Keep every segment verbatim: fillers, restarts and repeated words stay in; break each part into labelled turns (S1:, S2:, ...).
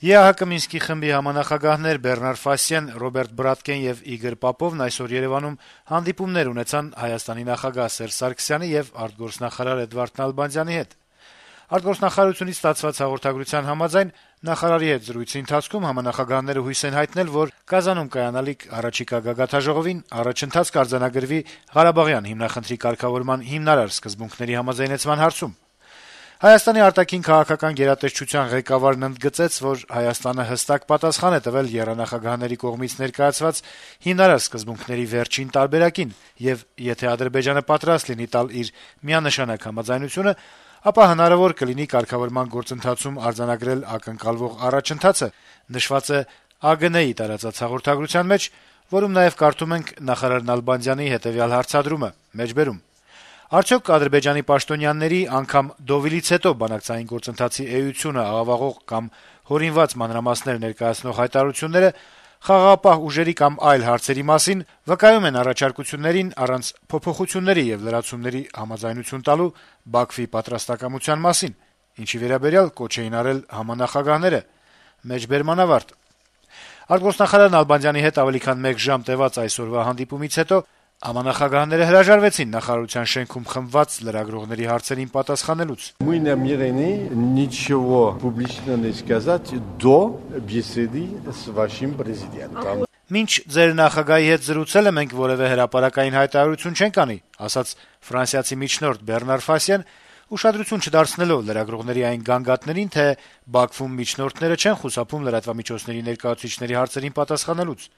S1: Է Ա Հ Կ Մինսկի խմբի համանախագահներ Բեռնար Ֆասիան, Ռոբերտ Բրատկեն եւ Իգոր Պապովն այսօր Երեւանում հանդիպումներ ունեցան Հայաստանի նախագահ Սերժ Սարգսյանի եւ արտգործնախարար Էդվարդ Նալբանդյանի հետ։ Արտգործնախարարությունից ստացված հաղորդագրության համաձայն նախարարի հետ զրույցի ընթացքում համանախագահները հույս են հայտնել, որ Կազանում կայանալիք առաջիկա գագաթաժողովին առաջընթաց կարձանագրվի Ղարաբաղյան հիմնախնդրի կարգավորման հիմնարար սկզբունքների համաձայնեցման հարցում։ Հայաստանի արտաքին քաղաքական գերատեսչության ղեկավարն ընդգծեց, որ Հայաստանը հստակ պատասխան է տվել եռանախագահների կողմից ներկայացված հիմնարար սկզբունքների վերջին տարբերակին, եւ եթե Ադրբեջանը պատրաստ լինի տալ իր միանշանակ համաձայնությունը, ապա հնարավոր կլինի կարգավորման գործընթացում արձանագրել ակնկալվող առաջընթացը, նշված է Ա Գ Ն-ի տարածած հաղորդագրության մեջ, որում նաեւ կարդում ենք նախարար Նալբանդյանի հետեւյալ հարցադրումը. մեջբերում Արդյոք Ադրբեջանի պաշտոնյաների անգամ Դովիլից հետո բանակցային գործընթացի էությունը աղավաղող կամ հորինված մանրամասներ ներկայացնող հայտարարությունները խաղաղապահ ուժերի կամ այլ հարցերի մասին վկայում են առաջարկություններին առանց փոփոխությունների եւ լրացումների համաձայնություն տալու Բաքվի պատրաստակամության մասին, ինչի վերաբերյալ կոչ էին արել համանախագահները։ Մեջբերման ավարտ։ Արտգործնախարար Նալբանդյանի հետ ավելի քան մեկ ժամ տեւած այսօրվա հանդիպումից հետո համանախագահները հրաժարվեցին նախարարության շենքում խմբված լրագրողների հարցերին պատասխանելուց։
S2: Мы намерены ничего публично не сказать до беседы с вашим президентом.
S1: Մինչ ձեր նախագահի հետ զրուցելը մենք որևէ հրապարակային հայտարարություն չենք անի, ասաց ֆրանսիացի միջնորդ Բեռնար Ֆասիան, ուշադրություն չդարձնելով լրագրողների այն գանգատներին, թե Բաքվում միջնորդները չեն խուսափում լրատվամիջոցների ներկայացուցիչների հարցերին պատասխանելուց։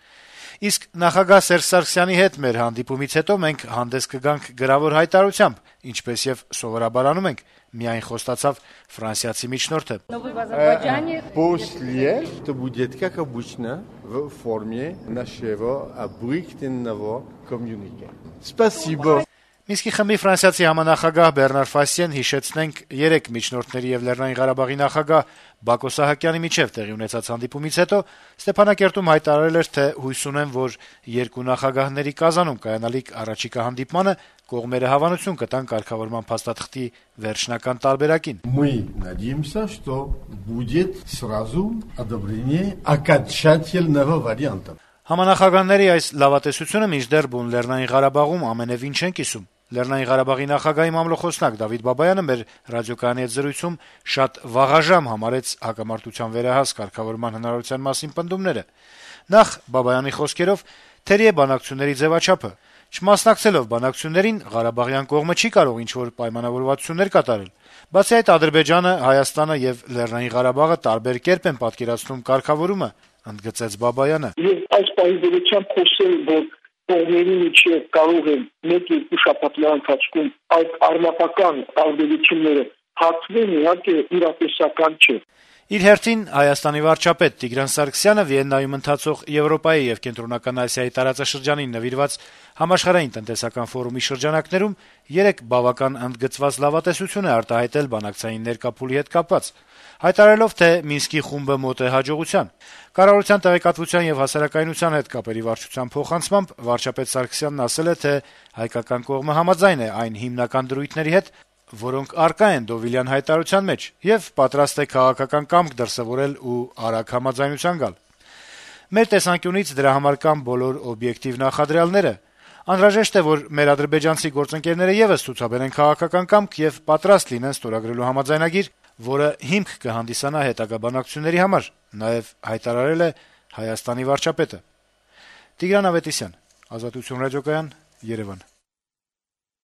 S1: Իսկ նախագահ Սերժ Սարգսյանի հետ մեր հանդիպումից հետո մենք հանդես կգանք գրավոր հայտարարությամբ, ինչպես եւ սովորաբար անում ենք, միայն խոստացավ ֆրանսիացի միջնորդը։
S2: После это будет как обычно в форме нашего обыкновенного коммюнике. Спасибо.
S1: Մինսկի խմբի ֆրանսիացի համանախագահ Բեռնար Ֆասիան, հիշեցնենք, երեք միջնորդների եւ Լեռնային Ղարաբաղի նախագահ Բակո Սահակյանի միջեւ տեղի ունեցած հանդիպումից հետո Ստեփանակերտում հայտարարել էր, թե հույս ունեն, որ երկու նախագահների Կազանում կայանալիք առաջիկա հանդիպմանը կողմերը հավանություն կտան կարգավորման փաստաթղթի վերջնական տարբերակին։
S2: Мы надеемся, что будет сразу одобрение окончательного варианта.
S1: Համանախագահների այս լավատեսությունը մինչդեռ բուն Լեռնային Ղարաբաղում ամենեւին չեն կիսում։ Լեռնային Ղարաբաղի նախագահի մամլոխոսնակ Դավիթ Բաբայանը մեր ռադիոկայանի հետ զրույցում շատ վաղաժամ համարեց հակամարտության վերահաս կարգավորման հնարավորության մասին պնդումները։ Նախ Բաբայանի խոսքերով թերի է բանակցությունների ձևաչափը։ Չմասնակցելով բանակցություններին Ղարաբաղյան կողմը չի կարող ինչ-որ պայմանավորվածություններ կատարել։ Բացի այդ Ադրբեջանը, Հայաստանը եւ Լեռնային Ղարաբաղը տարբեր կերպ են պատկերացնում կարգավորումը, ընդգծեց Բաբայանը։
S3: Եվ այս պայմանավորությամբ խոսել, որ կողմերի միջև կարող են մեկ-երկու շաբաթվա ընթացքում այդ արմատական տարբերությունները հատվեն, իհարկե իրատեսական չէ։
S1: Իր հերթին Հայաստանի վարչապետ Տիգրան Սարգսյանը Վիեննայում ընթացող Եվրոպայի եւ Կենտրոնական Ասիայի տարածաշրջանին նվիրված համաշխարհային տնտեսական ֆորումի շրջանակներում երեք բավական ընդգծված լավատեսություն է արտահայտել բանակցային ներկապուլի հետ կապված, հայտարարելով, թե Մինսկի խումբը մոտ է հաջողության։ Կառավարության տեղեկատվության եւ հասարակայնության հետ կապերի վարչության փոխանցմամբ վարչապետ Սարգսյանն ասել է, թե հայկական կողմը համաձայն է այն հիմնական դրույթների հետ, որոնք առկա են Դովիլյան հայտարարության մեջ, եւ պատրաստ է քաղաքական կամք դրսեւորել ու արագ համաձայնության գալ։ Մեր տեսանկյունից դրա համար կան բոլոր օբյեկտիվ նախադրյալները։ Անհրաժեշտ է, որ մեր ադրբեջանցի գործընկերները եւս ցուցաբերեն քաղաքական կամք եւ պատրաստ լինեն ստորագրելու համաձայնագիր, որը հիմք կհանդիսանա հետագա բանակցությունների համար, նաեւ հայտարարել է Հայաստանի վարչապետը։ Տիգրան Ավետիսյան, Ազատություն ռադիոկայան, Երևան։